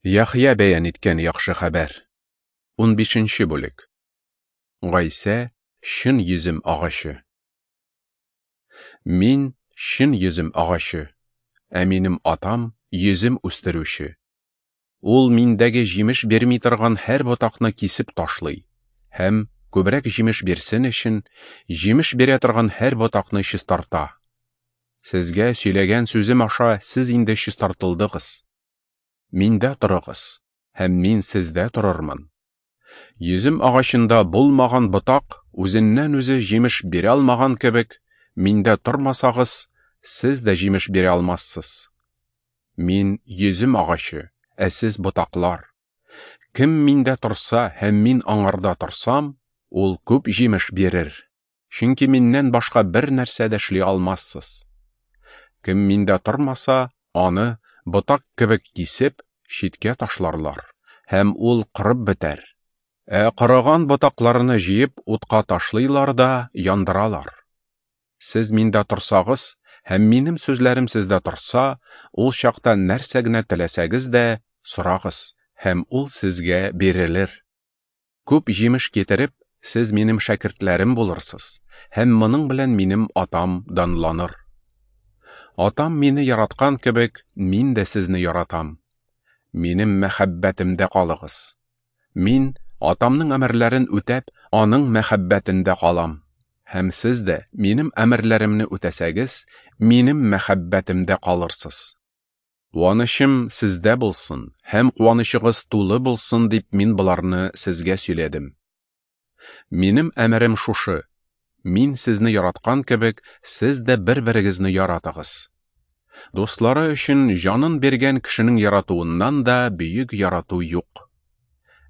Яхъя бәян иткән яхшы хәбәр. 15 бүлек. Гайсә чын йөзем агачы. Мин чын йөзем агачы, ә минем атам йөзем үстерүче. Ул миндәге җимеш бирми торган һәр ботакны кисеп ташлый һәм күбрәк җимеш бирсен өчен җимеш бирә торган һәр ботакны чистарта. Сезгә сөйләгән сүзем аша сез инде чистартылдыгыз. Миндә торыгыз, һәм мин сездә торырмын. Йөзем агачында булмаган ботак үзеннән-үзе җимеш бирә алмаган кебек, миндә тормасагыз, сез дә җимеш бирә алмассыз. Мин йөзем агачы, ә сез ботаклар. Кем миндә торса һәм мин аңарда торсам, ул күп җимеш бирер. Чөнки миннән башка бер нәрсә дә эшли алмассыз. Кем миндә тормаса, аны ботак кебек кисеп, читкә ташларлар, һәм ул корып бетәр. Ә корыган ботакларны җыеп, утка ташлыйлар да яндыралар. Сез миндә торсагыз һәм минем сүзләрем сездә торса, ул чакта нәрсә генә теләсәгез дә, сорагыз, һәм ул сезгә бирелер. Күп җимеш китереп, сез минем шәкертләрем булырсыз, һәм моның белән минем Атам данланыр. Атам мине яраткан кебек, мин дә сезне яратам. Минем мәхәббәтемдә калыгыз. Мин Атамның әмерләрен үтәп, аның мәхәббәтендә калам. Һәм сез дә минем әмерләремне үтәсәгез, минем мәхәббәтемдә калырсыз. Куанычым сездә булсын, һәм куанычыгыз тулы булсын дип мин боларны сезгә сөйләдем. Минем әмерем шушы: мин сезне яраткан кебек, сез дә бер-берегезне яратыгыз. Дуслары өчен җанын биргән кешенең яратуыннан да бөек ярату юк.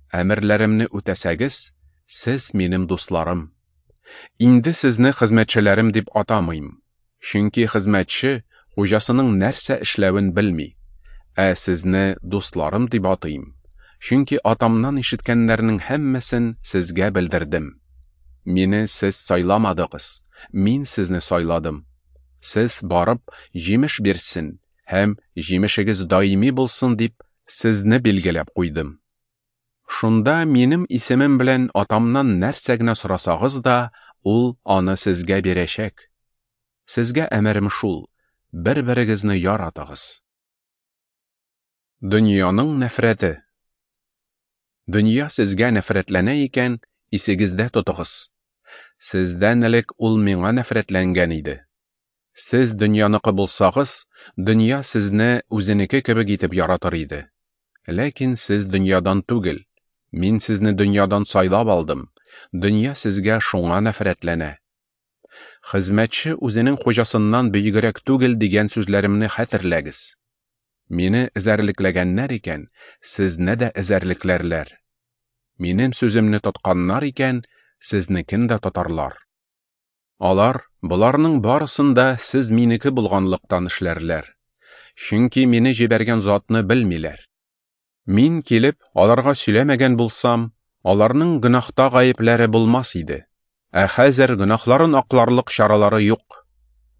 Әмерләремне үтәсәгез, сез минем дусларым. Инде сезне хезмәтчеләрем дип атамыйм, чөнки хезмәтче хуҗасының нәрсә эшләвен белми, ә сезне дусларым дип атыйм, чөнки Атамнан ишеткәннәрнең һәммәсен сезгә белдердем. Мине сез сайламадыгыз, мин сезне сайладым. Сез барып, җимеш бирсен һәм җимешегез даими булсын дип, сезне билгеләп куйдым. Шунда минем исемем белән Атамнан нәрсә генә сорасагыз да, ул аны сезгә бирәчәк. Сезгә әмерем шул: бер-берегезне яратыгыз. Дөньяның нәфрәте. Дөнья сезгә нәфрәтләнә икән, исегездә тотыгыз. Сездән элек ул миңа нәфрәтләнгән иде. Сез дөньяныкы булсагыз, дөнья сезне үзенеке кебек итеп яратыр иде. Ләкин сез дөньядан түгел. Мин сезне дөньядан сайлап алдым. Дөнья сезгә шуңа нәфрәтләнә. Хезмәтче үзенең хуҗасыннан бөегрәк түгел дигән сүзләремне хәтерләгез. Мине эзәрлекләгәннәр икән, сезне дә эзәрлекләрләр. Минем сүземне тотканнар икән, сезнекен дә тотарлар. Алар боларның барысын да сез минеке булганлыктан эшләрләр. Чөнки мине җибәргән затны белмиләр. Мин килеп, аларга сөйләмәгән булсам, аларның гөнаһта гаепләре булмас иде. Ә хәзер гөнаһларын акларлык чаралары юк.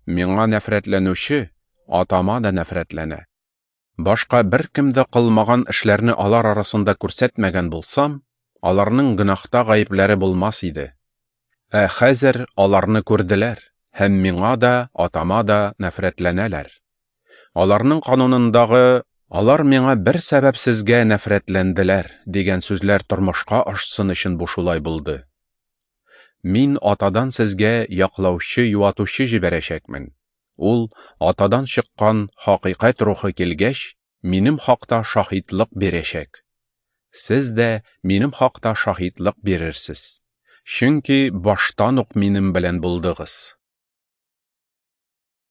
Миңа нәфрәтләнүче Атама да нәфрәтләнә. Башка беркем дә кылмаган эшләрне алар арасында күрсәтмәгән булсам, аларның гөнаһта гаепләре булмас иде. Ә хәзер аларны күрделәр һәм миңа да, Атама да нәфрәтләнәләр. Аларның канунындагы «Алар миңа бер сәбәпсезгә нәфрәтләнделәр» дигән сүзләр тормышка ашсын өчен бу шулай булды. Мин Атадан сезгә яклаучы, юатучы җибәрәчәкмен. Ул Атадан чыккан хакыйкать рухы килгәч, минем хакта шаһитлык бирәчәк. Сез дә минем хакта шаһитлык бирерсез. Чөнки баштан ук минем белән булдыгыз.